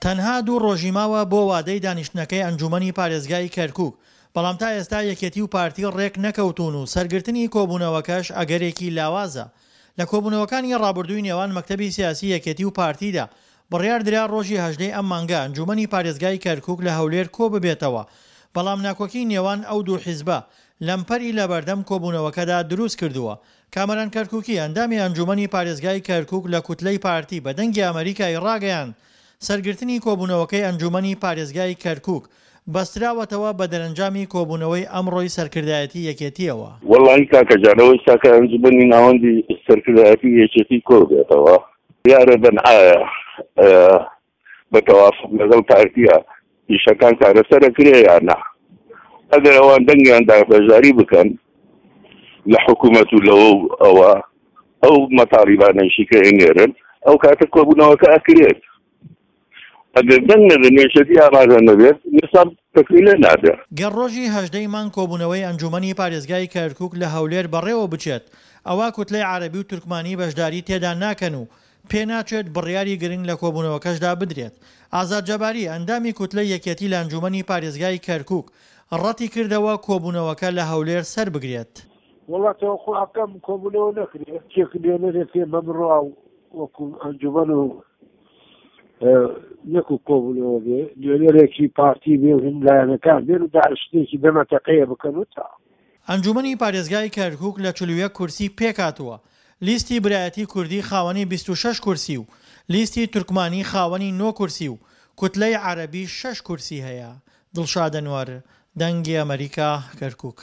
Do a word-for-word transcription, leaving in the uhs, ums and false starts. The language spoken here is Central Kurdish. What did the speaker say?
تەنها دوو ڕۆژی ماوە بۆ وادەی دانیشتنەکەی ئەنجوومەنی پارێزگای کەرکووک، بەڵام تا ئێستا یەکێتی و پارتی ڕێک نەکەوتوون و سەرگرتنی کۆبوونەوەکەش ئەگەرێکی لاوازە. لە کۆبوونەوەکانی ڕابردووی نێوان مەکتەبی سیاسی یەکێتی و پارتیدا بڕیاردرا ڕۆژی هەژدەی ئەم مانگە ئەنجوومەنی پارێزگای کەرکووک لە هەولێر کۆببێتەوە، بەڵام ناکۆکی نێوان ئەو دوو حیزبە لەمپەری لەبەردەم کۆبوونەوەکەدا دروستکردووە. کامەران کەرکوکی، ئەندامی ئەنجوومەنی پارێزگای کەرکوک لە کوتلەی پارتی بە دەنگی ئەمەریکای ڕاگەیاند، سەرگرتنی کۆبوونەوەکەی ئەنجوومەنی پارێزگای کەرکوک بەستراوەتەوە بە دەرەنجامی کۆبوونەوەی ئەمڕۆی سەرکردایەتی یەکێتییەوە. وەڵاهی کاکە جان ئەوەی ئێستا کە ئەنجومەنی ناوەندی سەرکردایەتی یەکێتی کۆبێتەوە دیارە بن ئایا بە تەوافق لەگەڵ پارتیە ئیشەکان چارەسەر ئەکرێ یا نا ئەگەر ئەوان دەنگیان دا بەشداری بکەن لە حکوومەت و لەوە و ئەوە ئەو مەتاڵیبانەیشی کە ئەینێرن ئەو کاتە کۆبوونەوەکە ئەکرێت ئەگەر دەنگ نەبێت یەکێتی ئامادە نەبێت نساب تەکمیلە نابێت. گەر ڕۆژی هەژدە ی مانگ کۆبوونەوەی ئەنجوومەنی پارێزگای کەرکوک لە هەولێر بەڕێوە بچێت، ئەوا کوتلەی عەرەبی و تورکمانی بەشداری تێدا ناکەن و پێناچێت بڕیاری گرنگ لە کۆبوونەوەکەشدا بدرێت. ئازاد جەباری، ئەندامی کوتلەی یەکێتی لە ئەنجوومەنی پارێزگای کەرکوک، ڕەتیکردەوە کۆبوونەوەکە لە هەولێر سەربگرێت. وەڵا تەوەقوع ئەکەم کۆبوونەوە نەکرێ، کێک نوێنەرێک هەیە بە بڕوا وەکو ئەنجومەن و نەکو کۆبوونەوە بێ، نوێنەرێکی پارتی بێ و هین لایەنەکان بێن و دانیشتنێکی دەمەتەقەیە بکەن و تا. ئەنجومەنی پارێزگای کەرکوک لە چل و یەک کورسی پێکهاتووە، لیستی برایەتی کوردی خاوەنی بیست و شەش کورسی و لیستی تورکمانی خاوەنی نۆ کورسی و کوتلەی عەرەبی شەش کورسی هەیە. دڵشاد ئەنوەر، دەنگی ئەمەریکا، کەرکوک.